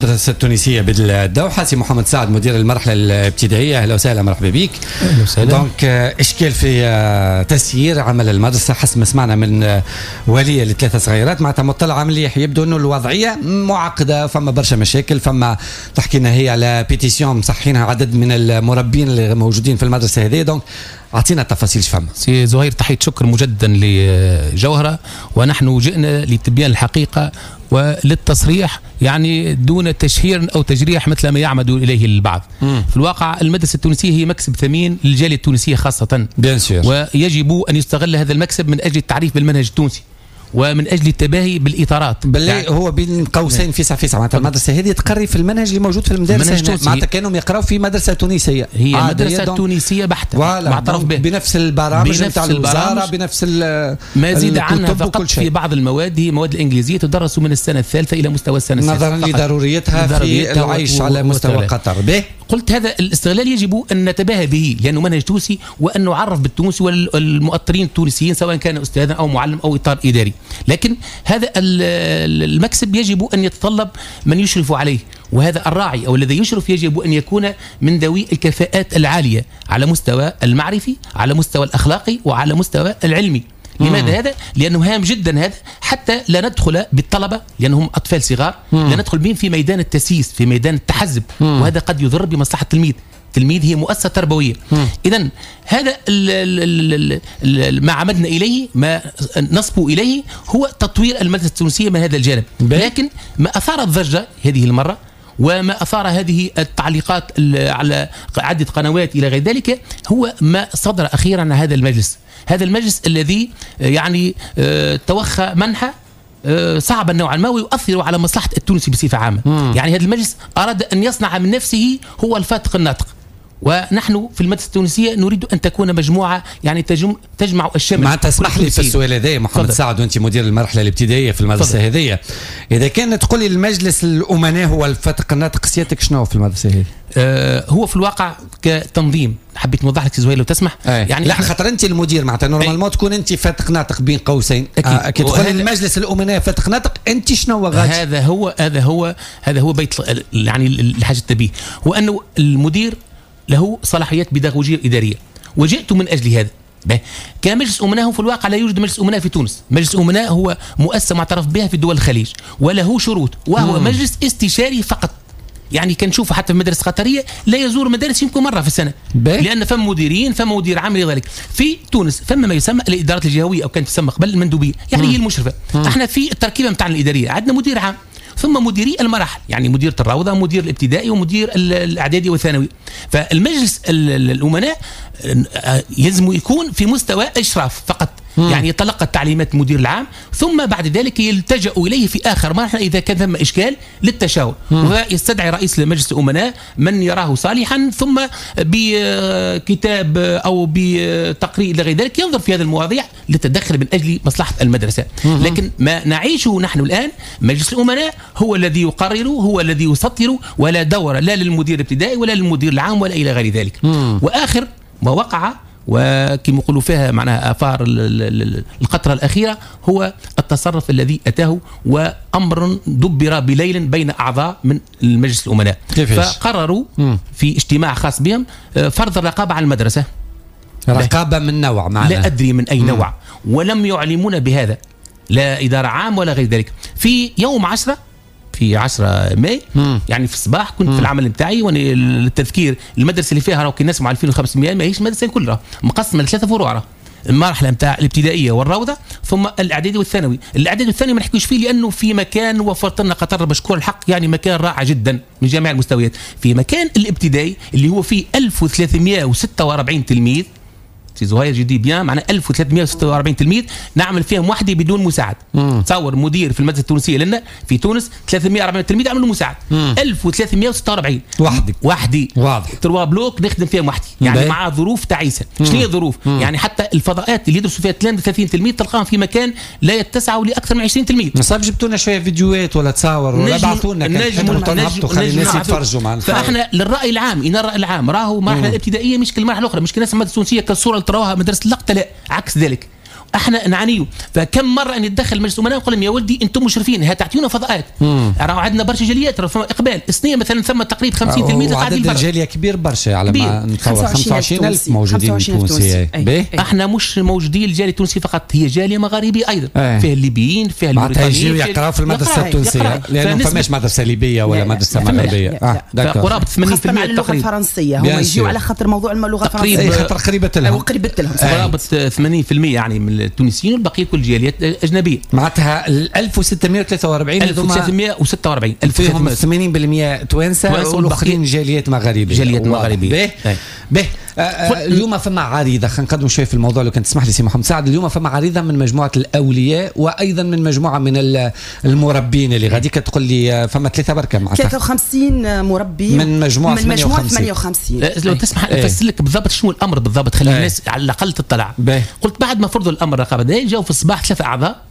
المدرسة التونسية بالدوحة، سي محمد سعد مدير المرحلة الابتدائية. أهلا وسهلا، مرحبا بك. أهلا وسهلا. donc إشكال في تسيير عمل المدرسة حسب ما سمعنا من ولية لثلاثة صغيرات، معناتها مطلعة مليح. يبدو أنه الوضعية معقدة، فما برشا مشاكل، فما تحكي لنا هي على pétition مصحينها عدد من المربين اللي موجودين في المدرسة هذه. donc اعطينا التفاصيل فما. سي زهير، تحية شكر مجددا لجوهرة، ونحن جئنا لتبيان الحقيقة وللتصريح يعني دون تشهير أو تجريح مثل ما يعمد إليه البعض. في الواقع المدرسة التونسية هي مكسب ثمين للجالية التونسية خاصة، bien sûr، ويجب أن يستغل هذا المكسب من أجل التعريف بالمنهج التونسي ومن اجل التباهي بالاطارات. بالله يعني هو بين قوسين فيسع فيسع، معناتها المدرسة هذه تقري في المنهج اللي موجود في المدارس، معناتها كانوا يقراوا في مدرسه تونسية، هي مدرسه تونسية بحته معترف به، بنفس البرامج نتاع الوزارة، بنفس ما زيد عنها فقط في بعض المواد، هي مواد الانجليزية تدرس من السنة الثالثة الى مستوى السنة السادسة نظرا لضروريتها في العيش على مستوى قطر. به قلت هذا الاستغلال يجب ان نتباهى به لانه منهج تونسي، وان نعرف بالتونسي والمؤطرين التونسيين سواء كان استاذا او معلم او اطار اداري. لكن هذا المكسب يجب ان يتطلب من يشرف عليه، وهذا الراعي او الذي يشرف يجب ان يكون من ذوي الكفاءات العالية على مستوى المعرفي، على مستوى الاخلاقي، وعلى مستوى العلمي. لماذا هذا؟ لأنه هام جدا هذا حتى لا ندخل بالطلبة لأنهم أطفال صغار، لا ندخل بهم في ميدان التسييس، في ميدان التحزب، وهذا قد يضر بمصلحة التلميذ. التلميذ هي مؤسسة تربوية. إذا هذا ما عمدنا إليه، ما نصبو إليه، هو تطوير المدرسة التونسية من هذا الجانب. لكن ما أثار الضجة هذه المرة وما أثار هذه التعليقات على عدة قنوات إلى غير ذلك هو ما صدر أخيرا عن هذا المجلس. هذا المجلس الذي يعني توخى منحى صعبا نوعا ما ويؤثر على مصلحة التونسي بصفة عامة. يعني هذا المجلس أراد أن يصنع من نفسه هو الفاتق الناطق، ونحن في المدرسة التونسية نريد أن تكون مجموعة يعني تجمع الشمل. معناتها تسمح لي في السؤال هذا محمد سعد، وأنت مدير المرحلة الابتدائية في المدرسة هذه، إذا كان تقول لي المجلس الأمناء هو الفاتق الناطق، سيادتك شنو في المدرسة هذه؟ هو في الواقع كتنظيم، حبيت نوضح لك زهير لو تسمح. يعني لا خاطر انت المدير معناتها normalement تكون انت فاتق ناطق بين قوسين. كي تقول المجلس الامناء فاتق ناطق، انت شنو غادي؟ هذا هو بيت يعني الحاجة التبيه، هو انه المدير له صلاحيات بيداغوجيه ادارية، وجئت من اجل هذا. كمجلس امناء في الواقع لا يوجد مجلس امناء في تونس. مجلس امناء هو مؤسسة معترف بها في دول الخليج وله شروط، وهو مجلس استشاري فقط. يعني كان نشوفه حتى في المدارس القطرية لا يزور مدارس يمكن مرة في السنة، لان فم مديرين، فم مدير عام لذلك. في تونس فم ما يسمى الادارات الجهوية او كانت تسمى قبل المندوبيه، يعني هي المشرفة. احنا في التركيبة نتاعنا الادارية عندنا مدير عام، ثم مديري المراحل، يعني مديرة الروضة، مدير الابتدائي، ومدير الاعدادي والثانوي. فالمجلس الامناء يلزم يكون في مستوى اشراف فقط، يعني يتلقى التعليمات المدير العام، ثم بعد ذلك يلتجأ إليه في آخر مرحلة إذا كان ثم إشكال للتشاور، ويستدعي رئيس مجلس الأمناء من يراه صالحا، ثم بكتاب أو بتقرير إلى غير ذلك ينظر في هذه المواضيع للتدخل من أجل مصلحة المدرسة. لكن ما نعيشه نحن الآن مجلس الأمناء هو الذي يقرر، هو الذي يسطر، ولا دور لا للمدير الابتدائي ولا للمدير العام ولا إلى غير ذلك. وآخر ما وقع وكما يقولوا فيها معناها آثار القطرة الأخيرة هو التصرف الذي أتاه، وأمر دبر بليل بين أعضاء من المجلس الأمناء. فقرروا في اجتماع خاص بهم فرض الرقابة على المدرسة. رقابة من نوع معنا؟ لا أدري من أي نوع، ولم يعلمون بهذا لا إدارة عام ولا غير ذلك. في يوم 10 في 10 ماي يعني في الصباح كنت في العمل نتاعي، وانا للتذكير المدرسة اللي فيها راهو كي نسمع 2500 ماهيش المدرسة كلها، مقسمة لثلاثة فروع، المرحلة نتاع الابتدائية والروضه، ثم الاعدادي والثانوي. الاعدادي والثانوي ما نحكيوش فيه لانه في مكان وفرت لنا قطر مشكور الحق، يعني مكان رائع جدا من جميع المستويات. في مكان الابتدائي اللي هو فيه 1346 تلميذ، سي زهير je dis bien، معنا 1346 تلميذ نعمل فيهم وحدي بدون مساعد. تصور مدير في المدرسة التونسية لنا في تونس 340 تلميذ عملوا مساعد، 1346 وحدي واضح، trois blocs نخدم فيهم وحدي، يعني مع ظروف تعيسه. شنو هي الظروف؟ يعني حتى الفضاءات اللي يدرسوا فيها 33 تلميذ تلقاهم في مكان لا يتسعوا لاكثر من 20 تلميذ. صاب جبتوا لنا شوية فيديوهات ولا تصاور ولا بعثوا لنا نهبطوا خلي الناس يتفرجوا معنا. فاحنا للراي العام، ان الراي العام راهو المرحلة الابتدائية مش كالمرحلة الاخرى، مش كالناس المدرسة التونسية كالصوره اللي تراوها مدرسه اللقطة، لا عكس ذلك. احنا نعانيو. فكم مرة ان يتدخل مجلس الامناء ونقول لهم يا ولدي انتم مشرفين، ها تعطيونا فضاءات، راهو عندنا برشا جاليات، فما اقبال السنية مثلا ثم تقريبا 50 تلميذ قاعدين برا. الجالية كبير برشا على ما نتصور 25000 موجودين تونسيين. احنا مش موجودين الجالية التونسية فقط، هي جالية مغاربيه ايضا، فيها الليبيين، فيها الموريتانيين، يجيو يقراوا في المدرسة التونسية لانه ما فماش مدرسه ليبية ولا مدرسه مغربية. قرابة 80% اللغة الفرنسية هما يجيو على خاطر موضوع اللغة الفرنسية، خاطر قريبه لهم، قريبه لهم قرابة 80% يعني من التونسيين، والبقية كل جاليات اجنبية. معناتها 1643 1346 فيهم 80% توانسة والاخرين جاليات مغاربيه. جاليات مغاربيه. به اليوم فما عريضة، خلينا نقدموا شوية في الموضوع لو كان تسمح لي سي محمد سعد. اليوم فما عريضة من مجموعة الاولياء وايضا من مجموعة من المربين اللي غاديك تقول لي فما ثلاثة بركة معناتها 53 مربي من مجموعة 58. لو تسمح نفسر لك بالضبط شنو الامر بالضبط، خلي الناس على الاقل تطلع. قلت بعد ما فرضوا الامر الرقابة جاوا في الصباح 3 اعضاء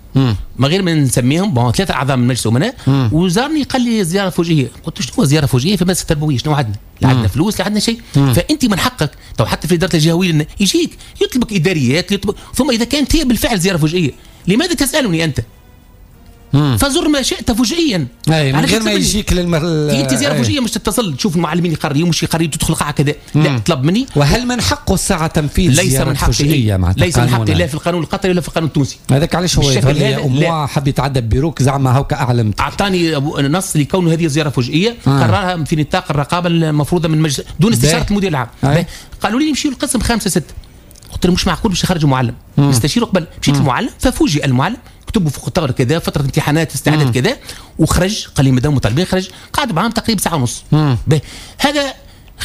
من غير ما نسميهم، bon 3 اعضاء من مجلس الامناء، وزارني قال لي زيارة فوجئيه. قلت شنو زيارة فوجئيه في المدرسة التربوية؟ شنو عندنا؟ لا عندنا فلوس لا عندنا شيء. فانت من حقك تو حتى في ادارة الجهوية يجيك يطلبك اداريات يطلبك، ثم اذا كانت هي بالفعل زيارة فوجئيه لماذا تسالني انت؟ فزر ما شئت فجئيا، من غير ما يجيك انت زيارة فجئيه مش تتصل تشوف المعلمين يقريوا مش يقريوا تدخل قاعة كذا، لا طلب مني. وهل من حقه الساعة تنفيذ ليس من حقه، ليس من حقه لا في القانون القطري ولا في القانون التونسي. هذاك علاش هو يظهر حب يتعدى ببيروك زعما هوكا اعلمت. اعطاني نص لكون هذه زيارة فجئيه قررها في نطاق الرقابة المفروضة من مجلس دون استشاره المدير العام. قالوا لي نمشيو للقسم 5 6، قلت لهم مش معقول باش يخرجوا معلم، نستشيروا قبل. مشيت للمعلم ففوجئ المعلم، كتبوا فوق الطاولة كذا فترة امتحانات استعداد كذا، وخرج قال لي مادام مطالبين خرج، قعد معاهم تقريبا ساعة ونص. هذا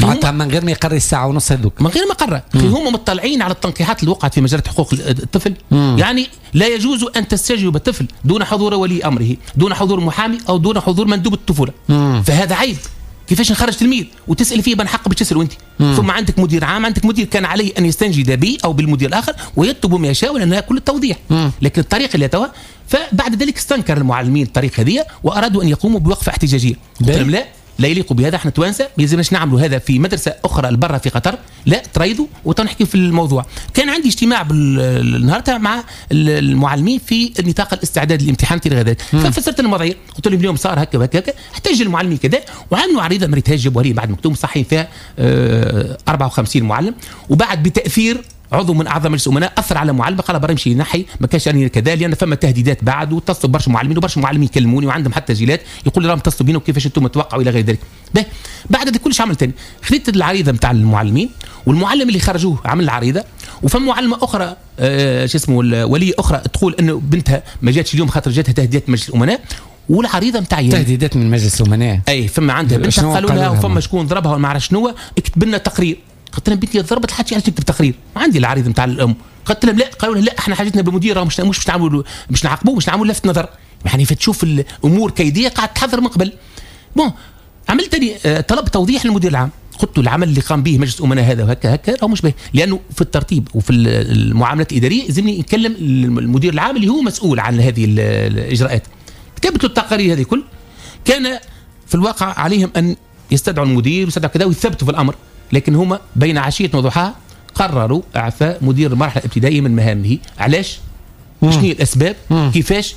معناتها من غير ما يقري الساعة ونص هذوك، من غير ما قرا، هما مطلعين على التنقيحات اللي وقعت في مجلة حقوق الطفل. يعني لا يجوز ان تستجوب الطفل دون حضور ولي امره، دون حضور محامي او دون حضور مندوب الطفولة. فهذا عيب. كيفاش نخرج تلميذ وتسال فيه بن حق باش تسال وانت؟ ثم عندك مدير عام، عندك مدير كان عليه ان يستنجد بي او بالمدير الاخر ويطلب ما يشاء لانها كل التوضيح. لكن الطريقة اللي توا، فبعد ذلك استنكر المعلمين الطريقة هذه وارادوا ان يقوموا بوقفه احتجاجية. قلت لهم لا، لا يليق بهذا، احنا توانسة ما يلزمناش نعملوا هذا في مدرسه اخرى لبرا في قطر، لا تريضوا وتنحكي في الموضوع. كان عندي اجتماع بالنهار مع المعلمين في نطاق الاستعداد للامتحان الى غير ذلك، ففسرت الموضوع، قلت لهم اليوم صار هكا وهكا هكا، احتج المعلمين كذا وعملوا عريضة ما ريتهاش، جابوها لي بعد مكتوب صحيح فيها 54 معلم، وبعد بتاثير عضو من اعضاء مجلس الامناء اثر على معلم قال برا يمشي ينحي ما كانش يعني كذا، لان فما تهديدات بعد واتصلوا برشا معلمين وبرشا معلمين يكلموني وعندهم حتى تسجيلات يقول لي راهم اتصلوا بينا وكيفاش انتم توقعوا الى غير ذلك. بعد هذا كلش عملت ثاني، خذيت العريضة نتاع المعلمين والمعلم اللي خرجوه عمل العريضة، وفما معلمه اخرى شو اسمه وليه اخرى تقول انه بنتها ما جاتش اليوم خاطر جاتها تهديدات مجلس الامناء، والعريضه نتاع تهديدات من مجلس الامناء. اي فما عندها بنتها قالوا لها وفما شكون ضربها وما عرف شنو، اكتب لنا تقرير. قلت لهم بنتي ضربت حتى علاش تكتب تقرير؟ عندي العريض نتاع الام. قلت لهم لا، قالوا لها لا احنا حاجتنا بالمدير مش باش نعملوا باش نعاقبوه باش نعملوا لفت نظر. يعني فتشوف الامور كيديه قاعد تحضر من قبل. bon عملت لي طلب توضيح للمدير العام، قلت له العمل اللي قام به مجلس الامناء هذا وهكا هكا راهو مش به، لانه في الترتيب وفي المعاملات الادارية لازمني نكلم المدير العام اللي هو مسؤول عن هذه الاجراءات. كتبت له التقارير هذه كل، كان في الواقع عليهم ان يستدعوا المدير ويستدعوا كذا ويثبتوا في الامر، لكن هما بين عشية وضحاها قرروا اعفاء مدير المرحلة الابتدائية من مهامه. علاش؟ شنو هي الاسباب؟ كيفاش؟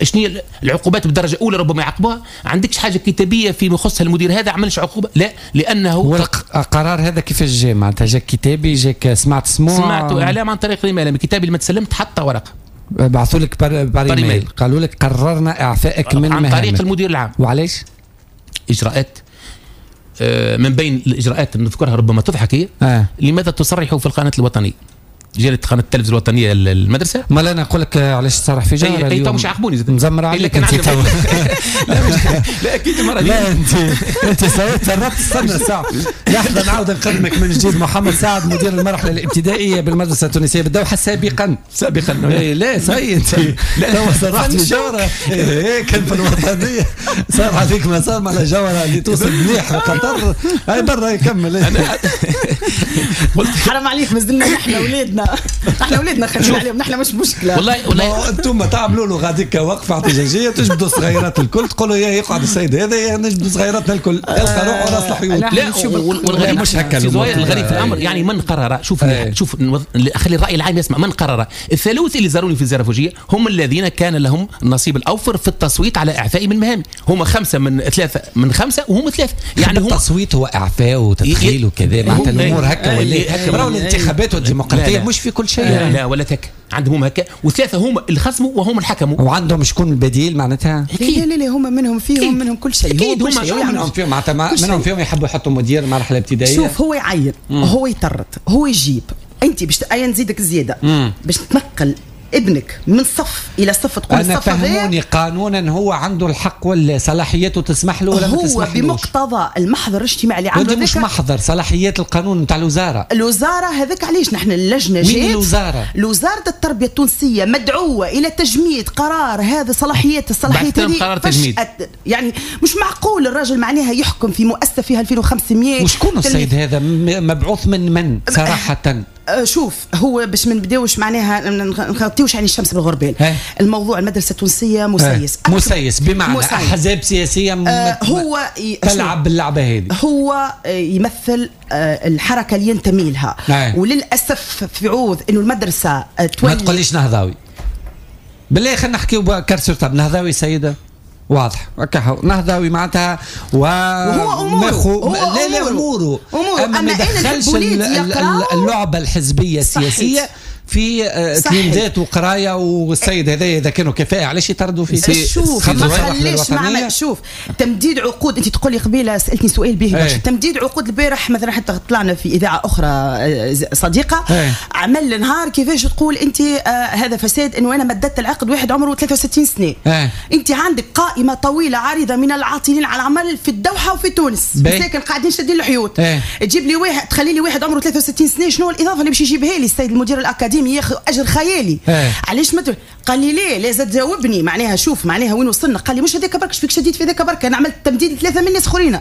شنو العقوبات بالدرجة الاولى ربما يعاقبوها؟ عندكش حاجة كتابيه فيما يخص المدير هذا عملش عقوبه؟ لا، لانه القرار هذا كيفاش جا؟ معناتها جاك كتابي، جاك سمعت سموع؟ سمعت اعلام عن طريق الايميل، كتابي ما تسلمت حتى ورقة. بعثوا لك par email قالوا لك قررنا اعفائك من مهامك عن طريق المدير العام. وعلاش؟ اجراءات من بين الاجراءات اللي نذكرها ربما تضحك هي لماذا تصرحوا في القناة الوطنية؟ جالت قناة التلفزيون الوطنية المدرسة. ما انا نقول لك علاش تصرح في جاره اي تو مش يعاقبوني زاد مزمر عليك انت. لا اكيد المرة دي لا انت سويت سربت. استنى ساعة لحظة نعاود نقدمك من جديد. محمد سعد مدير المرحلة الابتدائية بالمدرسة التونسية بالدوحه سابقا. لا صحيح انت لا صرحت في جوهره كان في الوطنية صار عليك ما صار على جوهره اللي توصل مليح قطر هاي برا يكمل. حرام عليك مازلنا نحن اولادنا احنا اولادنا خلينا عليهم، نحن مش مشكلة والله. انتم تعملوا له غاديك وقفه احتجاجية، تجبدوا الصغيرات الكل، تقولوا يا يقعد السيد هذا يا نجبدوا صغيراتنا الكل، يلقى روحه راس الحيوط. لا والغريب مش هكا الغريب في الامر، يعني من قرر، شوف شوف خلي الراي العام يسمع، من قرر الثالوث اللي زاروني في الزيارة الفوجيه هم الذين كان لهم النصيب الاوفر في التصويت على اعفائي من مهامي، هم 5 من 3 من 5 وهم 3، يعني هم التصويت هو اعفاء وتدخيل وكذا، معناتها الامور هكا ولا راهو الانتخابات والديمقراطية مش في كل شيء. لا, لا ولا تك عندهم هكا، وثلاثة هم اللي خصموا وهم اللي حكموا، وعندهم شكون البديل معناتها؟ لا لا لا هم منهم فيهم، منهم كل شيء، اكيد هم منهم فيهم، معناتها منهم فيهم يحبوا يحطوا مدير مرحلة ابتدائية. شوف هو يعين، هو يطرد، هو يجيب، انت باش نزيدك زيادة باش تنقل ابنك من صف الى صف، تقول انا فهموني قانونا هو عنده الحق ولا صلاحيته تسمح له ولا ما تسمحلوش؟ هو بمقتضى المحضر الاجتماعي اللي عنده، مش محضر، صلاحيات القانون نتاع الوزارة. الوزارة هذاك علاش نحن اللجنة جات، وين الوزارة؟ وزارة التربية التونسية مدعوه الى تجميد قرار هذا، صلاحيات الصلاحيات هذه قرار تجميد، يعني مش معقول الراجل معناها يحكم في مؤسسة فيها 2500. وشكون السيد هذا مبعوث من صراحة؟ شوف هو باش ما نبداوش معناها نغطيوش عن الشمس بالغربال. الموضوع المدرسة التونسية مسيس، مسيس بمعنى مسيس. احزاب سياسية هو تلعب باللعبة هذه، هو يمثل الحركة اللي ينتمي لها. وللاسف في عوض انه المدرسة تولي، ما تقوليش نهضاوي بالله، خلينا نحكيو carte sur table. نهضاوي سيده واضح هكا، نهضاوي معناتها وهو اموره، لا لا اموره، اما ما يدخلش اللعبة الحزبية السياسية في تلميذات وقرايه. والسيد هذا اذا كانوا كفاءة علاش يطردوا فيه؟ شوف ما خليش معمل. شوف تمديد عقود، انت تقول لي قبيلة سالتني سؤال به برشا، تمديد عقود البارح مثلا حتى طلعنا في اذاعة اخرى صديقه عمل نهار كيفاش تقول انت هذا فساد انه انا مددت العقد واحد عمره 63 سنة. انت عندك قائمة طويلة عريضة من العاطلين على العمل في الدوحة وفي تونس، مساكن قاعدين شادين الحيوط. تجيب لي واحد، تخلي لي واحد عمره 63 سنة، شنو الاضافة اللي باش يجيبها لي السيد المدير الاكاديمي؟ ياخذ اجر خيالي. علاش ما قال لي ليه لازم تجاوبني معناها، شوف معناها وين وصلنا. قال لي مش هذاك برك، فيك شديد في هذاك برك، انا عملت تمديد 3 من الناس اخرين،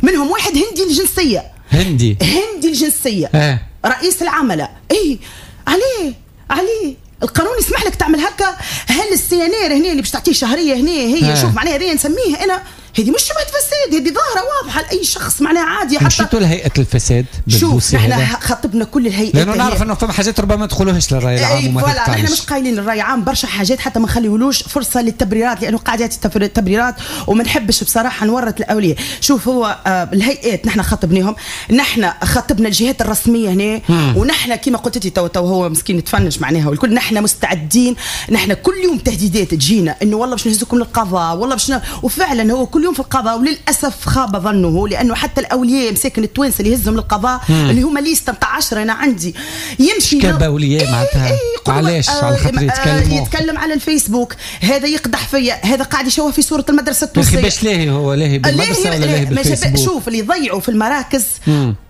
منهم واحد هندي الجنسية، هندي الجنسية. رئيس العملة. اي عليه عليه القانون يسمح لك تعمل هكا؟ هل ال CNR هنا اللي باش تعطيه شهرية هنا هي شوف معناها هذه نسميه انا هذه مش شبهة فساد، هذه ظاهره واضحة لاي شخص معناها عادي. حتى مشيتوا لهيئة الفساد؟ شوف نحن خاطبنا كل الهيئات، لانه نعرف انه فما حاجات ربما ما تدخلوهاش للراي العام وما تتقالش. نحن مش قايلين للراي العام برشا حاجات، حتى ما نخليولوش فرصة للتبريرات، لانه قاعد يعطي التبريرات وما نحبش بصراحة نورط الاولياء. شوف هو الهيئات نحن خاطبناهم، نحن خاطبنا الجهات الرسمية هنا، ونحن كما قلت انت تو هو مسكين تفنش معناها والكل، نحن مستعدين، نحن كل يوم تهديدات تجينا انه والله باش نهزكم للقضاء، والله باش، وفعلا هو كل يوم في القضاء، وللاسف خاب ظنه، لانه حتى الاولياء مساكن التوانسة اللي يهزهم للقضاء اللي هما liste نتاع 10 انا عندي يمشي كباولياء معناتها. علاش؟ على خاطر يتكلموا، يتكلم على الفيسبوك، هذا يقدح فيا، هذا قاعد يشوه في صوره المدرسة التونسية. باش لاهي هو لاهي بالمدرسة ولا لاهي بالفيسبوك؟ شوف اللي يضيعوا في المراكز،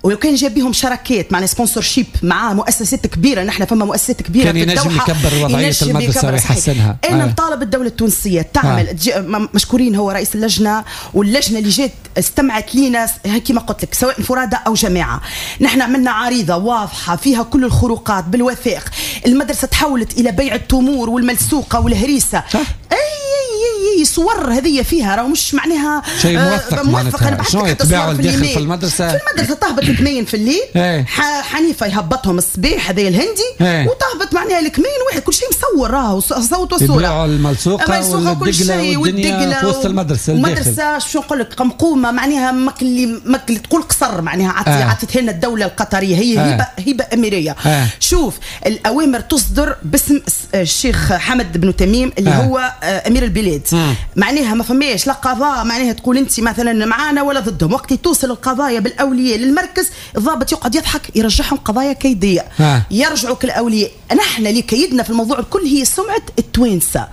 ولو كان جاب بهم شراكات معناها sponsorship مع مؤسسات كبيرة، نحن فما مؤسسات كبيرة كان ينجم يكبر وضعية المدرسة ويحسنها. انا نطالب الدولة التونسية تعمل مشكورين هو رئيس اللجنة واللجنة اللي جات استمعت لينا كما قلت لك سواء فرادى او جماعة. نحن عملنا عريضة واضحة فيها كل الخروقات بالوثائق. المدرسة تحولت الى بيع التمور والملسوقه والهريسه. اي صور هذه فيها راه مش معناها شيء موثق. موثق. انا شنو يتباعوا الداخل في المدرسة؟ في المدرسة تهبط الكمين في الليل. حنيفة يهبطهم الصباح هذا الهندي. وتهبط معناها الكمين واحد كل شيء مصور راهو صوت وصوره. يبيعوا الملسوقه كل شيء والدقله في وسط المدرسة. المدرسة شو نقول لك قمقومه معناها ماكل تقول قصر معناها عطيتها لنا الدولة القطرية هي هبه اميريه. شوف الاوامر تصدر باسم الشيخ حمد بن تميم اللي هو امير البلاد. معناها ما فماش لا قضاء معناها تقول انت مثلا معانا ولا ضدهم. وقت توصل القضايا بالاولياء للمركز الضابط يقعد يضحك يرجعهم قضايا كيديه. يرجعوا كالاولياء. نحن اللي كيدنا في الموضوع الكل هي سمعه التوانسة.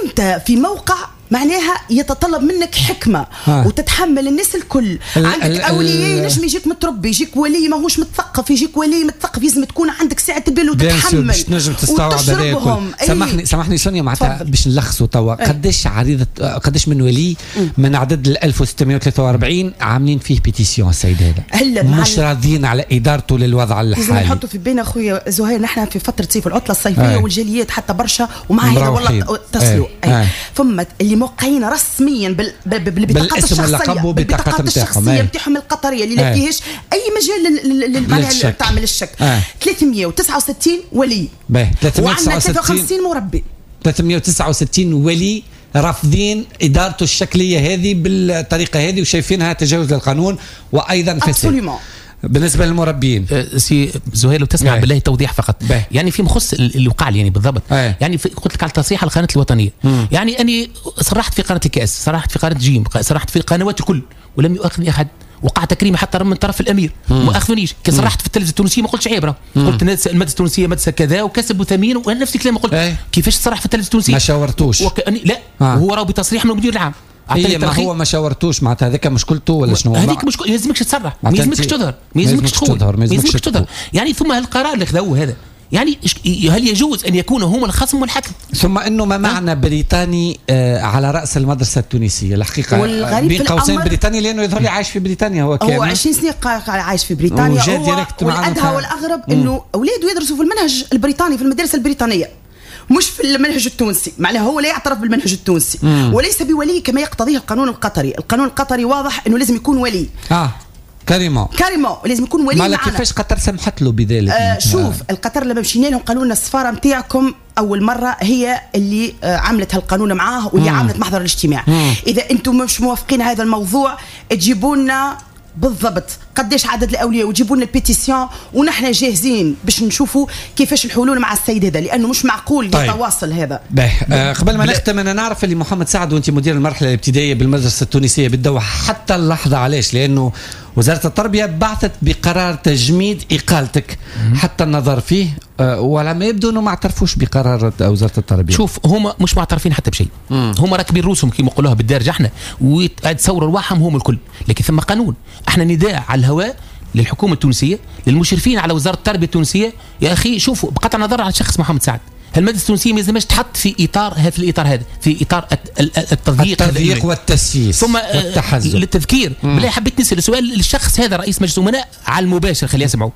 انت في موقع معناها يتطلب منك حكمه وتتحمل الناس الكل. عندك اولياء ينجم يجيك متربي، يجيك ولي ماهوش متثقف، يجيك ولي متثقف، لازم تكون عندك سعة بال وتتحمل باش تنجم تستوعب هذا الكل. سامحني سونيا، معناتها باش نلخصوا توا، قداش عريضة، قداش من ولي من عدد ال 1643 عاملين فيه pétition السيد هذا مش راضيين على ادارته للوضع الحالي؟ لازم نحطوا في بالنا خويا زهير، نحن في فترة صيف، العطلة الصيفية والجاليات حتى برشا، ومع هذا والله تصلوا. ثم اللي موقعين رسميا بالبطاقات الشخصية، بالبطاقات الشخصية نتاعهم القطرية اللي لا فيهاش اي مجال معناها تعمل الشك. 369 ولي، وعندنا 53 مربي. 369 ولي رافضين ادارته الشكليه هذه بالطريقة هذه وشايفينها تجاوز للقانون وايضا فساد. بالنسبة للمربيين سي زهير لو تسمع بالله توضيح فقط. بيه. يعني في مخص اللي وقع لي يعني بالضبط. يعني قلت لك على التصريح على القناة الوطنية. يعني اني صرحت في قناة الكاس، صرحت في قناة جيم، صرحت في القنوات الكل ولم يؤاخذني احد. وقع تكريم حتى من طرف الامير، ما اخذونيش. كي صرحت في التلفزيون التونسية ما قلتش عيب، قلت المدرسة التونسية مدرسه كذا وكسب وثمين، وانا نفس الكلام قلت. كيفاش صرح في التلفزيون التونسية؟ ما شاورتوش. لا هو راهو بتصريح من المدير العام. إيه ما هو ما شاورتوش، معناتها هذاك مشكلته ولا شنو؟ هذيك مشكلة، يلزمكش تصرح، ما يلزمكش تظهر، ما يلزمكش تقول، ما يلزمكش تظهر. يعني ثم هالقرار اللي خذوه هذا، يعني هل يجوز ان يكون هما الخصم والحكم؟ ثم انه ما معنى بريطاني على راس المدرسة التونسية الحقيقة، بين قوسين بريطاني لانه يظهر لي عايش في بريطانيا، هو كان هو 20 سنة عايش في بريطانيا. والادهى والاغرب انه اولاده يدرسوا في المنهج البريطاني في المدارس البريطانية، مش في المنهج التونسي. معناها هو لا يعترف بالمنهج التونسي. وليس بولي كما يقتضيه القانون القطري. القانون القطري واضح انه لازم يكون ولي. carrément لازم يكون ولي. معنا كيفاش قطر سمحت له بذلك؟ شوف القطر لما مشينا لهم قالوا لنا السفارة نتاعكم اول مرة هي اللي عملت هالقانون معاه واللي عملت محضر الاجتماع. اذا انتم مش موافقين هذا الموضوع تجيبوا لنا بالضبط قداش عدد الاولياء وتجيبوا لنا ال pétition، ونحن جاهزين باش نشوفوا كيفاش الحلول مع السيد هذا، لانه مش معقول. طيب. يتواصل هذا. قبل ما نختم انا نعرف اللي محمد سعد وانت مدير المرحلة الابتدائية بالمدرسة التونسية بالدوحه حتى اللحظة، علاش؟ لانه وزارة التربية بعثت بقرار تجميد اقالتك حتى النظر فيه، وعلى ما يبدو انه ما اعترفوش بقرار وزارة التربية. شوف هما مش معترفين حتى بشيء، هما راكبين روسهم كما يقولوها بالدارجة احنا، ويتصوروا رواحهم هم الكل، لكن ثم قانون. احنا نداء على الهواء للحكومة التونسية، للمشرفين على وزارة التربية التونسية، يا اخي شوفوا بقطع النظر عن شخص محمد سعد، المدرسة التونسية ما يلزمش تحط في اطار هذا، في الاطار هذا، في اطار التضييق والتسييس ثم والتحزب. للتذكير بالله حبيت نسال سؤال للشخص هذا رئيس مجلس الامناء على المباشر، خليه يسمعوا.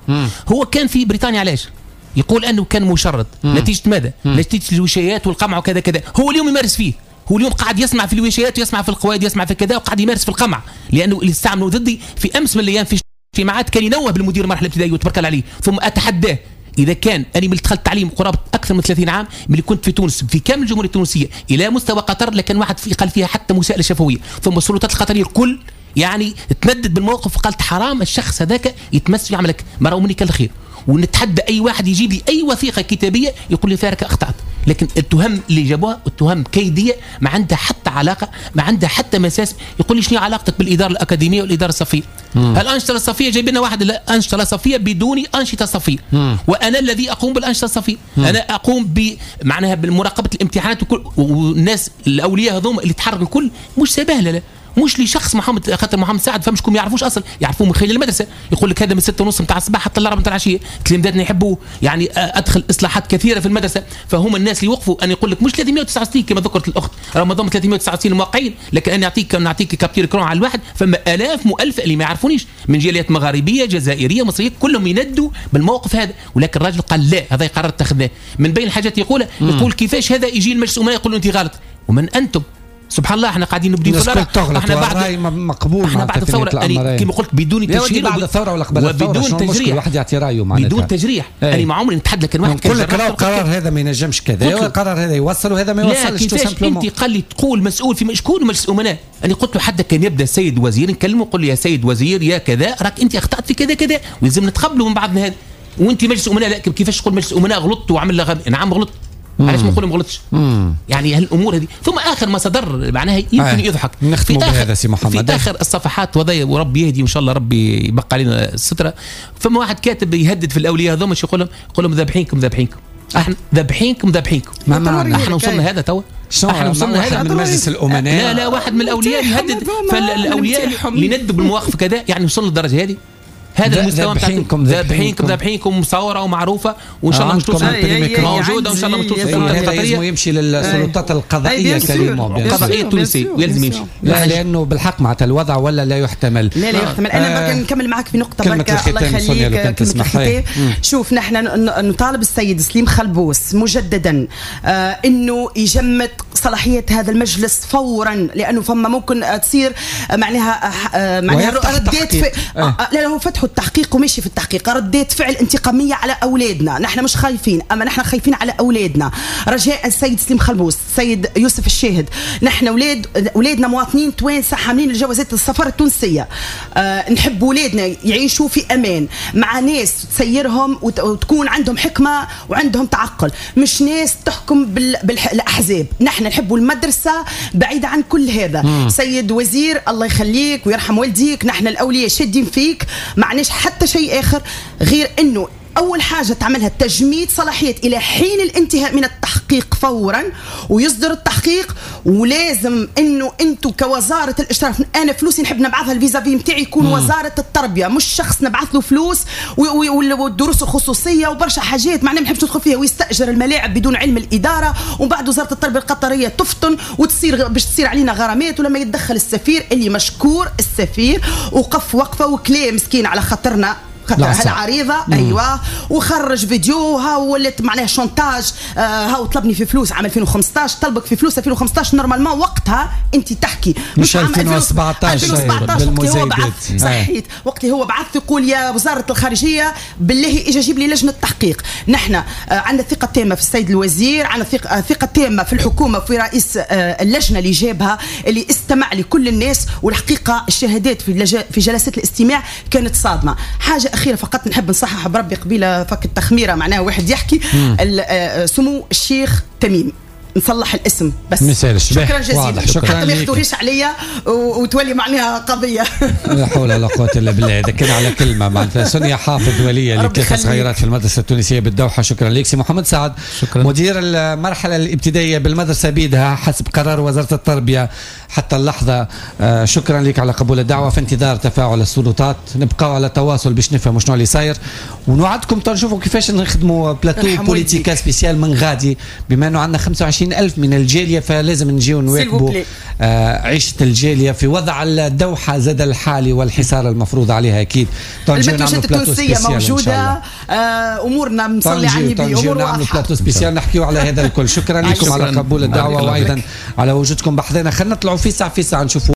هو كان في بريطانيا علاش؟ يقول انه كان مشرد. نتيجة ماذا؟ نتيجة الوشايات والقمع وكذا كذا. هو اليوم يمارس فيه، هو اليوم قاعد يسمع في الوشايات ويسمع في القواد يسمع في كذا، وقاعد يمارس في القمع، لانه اللي استعملوا ضدي في امس من الايام في اجتماعات كان ينوه بالمدير المرحلة الابتدائية وتبارك الله عليه. ثم اتحداه اذا كان انا من دخلت التعليم قرابة اكثر من 30 عام، من كنت في تونس في كامل الجمهورية التونسية الى مستوى قطر، لكن واحد في قال فيها حتى مساءله شفويه. ثم السلطات القطرية الكل يعني تندد بالموقف وقالت حرام الشخص هذاك يتمس ويعمل ما راهو مني كان الخير. ونتحدى اي واحد يجيب لي اي وثيقة كتابيه يقول لي فارك اخطات، لكن التهم اللي جابوها التهم كيديه، ما عندها حتى علاقة، ما عندها حتى مساس. يقول لي شنو علاقتك بالادارة الاكاديمية والادارة الصفية؟ الانشطة الصفية جايب لنا واحد الانشطة الصفية بدون انشطة صفيه، وانا الذي اقوم بالانشطه الصفية. انا اقوم بمعناها بالمراقبه الامتحانات وكل، والناس الاولياء هذوما اللي تحركوا الكل مش سبهلله، مش لشخص محمد، خاطر محمد سعد فمش شكون ما يعرفوش اصلا، يعرفوه من خلال المدرسة. يقول لك هذا من 6:30 نتاع الصباح حتى 4 نتاع العشية، تلامذتنا يحبوه، يعني ادخل اصلاحات كثيرة في المدرسة. فهم الناس اللي وقفوا. انا يقول لك مش 369 كما ذكرت الاخت، راه ضمن 369 موقعين، لكن انا نعطيك capture écran على الواحد، فما الاف مؤلفه اللي ما يعرفونيش من جاليات مغاربيه جزائرية مصرية كلهم يندوا بالموقف هذا. ولكن الراجل قال لا، هذا قرار اتخذناه. من بين الحاجات يقولها، يقول كيفاش هذا يجي المجلس الامناء يقول له انت غلط، ومن انتم؟ سبحان الله احنا قاعدين نبدي في الارض. احنا بعد مقبول، احنا بعد الثورة يعني كما قلت بدون تشهير، بعد الثورة ولا قبل الثورة بدون تجريح، الواحد يعطي رايه معناتها بدون تجريح. انا ما عمري نتحدى لكن واحد نقول لك راه القرار هذا ما ينجمش كذا، والقرار هذا يوصل وهذا ما يوصلش. كيفاش انت قال لي تقول مسؤول في شكون مجلس الامناء؟ انا قلت له حتى كان يبدا السيد وزير نكلمه نقول له يا سيد وزير يا كذا راك انت اخطات في كذا كذا، ولازم نتقبلوا من بعضنا هذا. وانت مجلس امناء لا، كيفاش تقول مجلس امناء غلطت وعمل غبي؟ نعم غلطت، علاش ما نقول ما غلطش؟ يعني هالامور هذه. ثم اخر ما صدر معناها يمكن يضحك في اخر سي محمد، في اخر الصفحات وضي وربي يهدي وان شاء الله ربي يبقى علينا السترة. فما واحد كاتب يهدد في الاولياء هذوما، يقول لهم؟ يقول لهم ذابحينكم ذابحينكم. احنا ذابحينكم ذابحينكم. احنا وصلنا هذا توا، احنا وصلنا هذا من مجلس الامناء. لا لا، واحد من الاولياء يهدد، فالاولياء اللي ندوا بالمواقف كذا، يعني وصلنا للدرجة هذه. هذا المستوى ذابحينكم ذابحينكم ذابحينكم، مصوره ومعروفة، وان شاء الله مش توصل موجودة، وان شاء الله مش توصل. هذا لازم يمشي للسلطات القضائية كريم، القضائية التونسية يلزم يمشي. لا، لانه بالحق معناتها الوضع ولا لا يحتمل. لا لا يحتمل. انا برك نكمل معك في نقطة برك، الله يخليك. كلمة شوف، نحن نطالب السيد سليم خلبوس مجددا انه يجمد صلاحية هذا المجلس فورا، لانه فما ممكن تصير معناها ردات. لا، هو فتحوا التحقيق وماشي في التحقيق، ردات فعل انتقاميه على اولادنا. نحن مش خايفين، اما نحن خايفين على اولادنا. رجاء السيد سليم خلبوس، السيد يوسف الشاهد، نحن اولادنا مواطنين توانسة حاملين الجوازات السفر التونسية. نحب اولادنا يعيشوا في امان مع ناس تسيرهم وتكون عندهم حكمه وعندهم تعقل، مش ناس تحكم بالاحزاب. نحن نحب المدرسة بعيدة عن كل هذا. سيد وزير الله يخليك ويرحم والديك، نحن الاولياء شادين فيك، ما عناش حتى شيء اخر غير انه اول حاجة تعملها تجميد صلاحيات الى حين الانتهاء من التحقيق فورا، ويصدر التحقيق. ولازم انه انتم كوزارة الاشراف، انا فلوسي نحب نبعثها ال vis-à-vis نتاعي يكون وزارة التربية، مش شخص نبعث له فلوس والدروس الخصوصية وبرشا حاجات معناها ما نحبش ندخل فيها، ويستاجر الملاعب بدون علم الادارة، ومن بعد وزارة التربية القطرية تفطن وتصير باش تصير علينا غرامات. ولما يتدخل السفير اللي مشكور، السفير وقف وقفه وكلام مسكين على خاطرنا، خاطر هالعريضه. ايوه، وخرج فيديو ها ولات معناها chantage. هاو طلبني في فلوس عام 2015، طلبك في فلوس 2015 normalement وقتها انت تحكي، مش عام 2017. 2017 وقت هو بعث، صحيت، وقت هو بعث يقول يا وزارة الخارجية بالله اجا جيب لي لجنة تحقيق. نحن عندنا ثقة تامة في السيد الوزير، عندنا ثقة تامة في الحكومة، في رئيس اللجنة اللي جابها، اللي استمع لكل الناس. والحقيقة الشهادات في جلسات الاستماع كانت صادمه. حاجة أخيرة فقط نحب نصحح بربي قبيلة فك التخميرة، معناها واحد يحكي سمو الشيخ تميم، نصلح الاسم بس. شكرا جزيلا، شكرا حتى ما ياخذوهاش عليا وتولي معناها قضية. لا حول ولا قوة الا بالله. اذا كان على كلمة معناتها. سونيا حافظ وليه لثلاث صغيرات في المدرسة التونسية بالدوحه، شكرا لك. سي محمد سعد، شكرا. مدير المرحلة الابتدائية بالمدرسة بيدها حسب قرار وزارة التربية حتى اللحظة، شكرا لك على قبول الدعوة. في انتظار تفاعل السلطات، نبقاو على تواصل باش نفهموا شنو اللي صاير، ونوعدكم تنشوفوا كيفاش نخدموا plateau بوليتيكا spécial من غادي، بما انه عندنا 25,000 من الجالية، فلازم نجيو نواكبوا عيشة الجالية في وضع الدوحة زاد الحالي والحصار المفروض عليها. أكيد المنتوجات التونسية موجودة، أمورنا مصلي على النبي، أمور واضحة. plateau spécial نحكيو على هذا الكل. شكرا لكم على قبول الدعوة وأيضا على وجودكم بحذانا. خلينا نطلعوا في ساعة في ساعة نشوفوا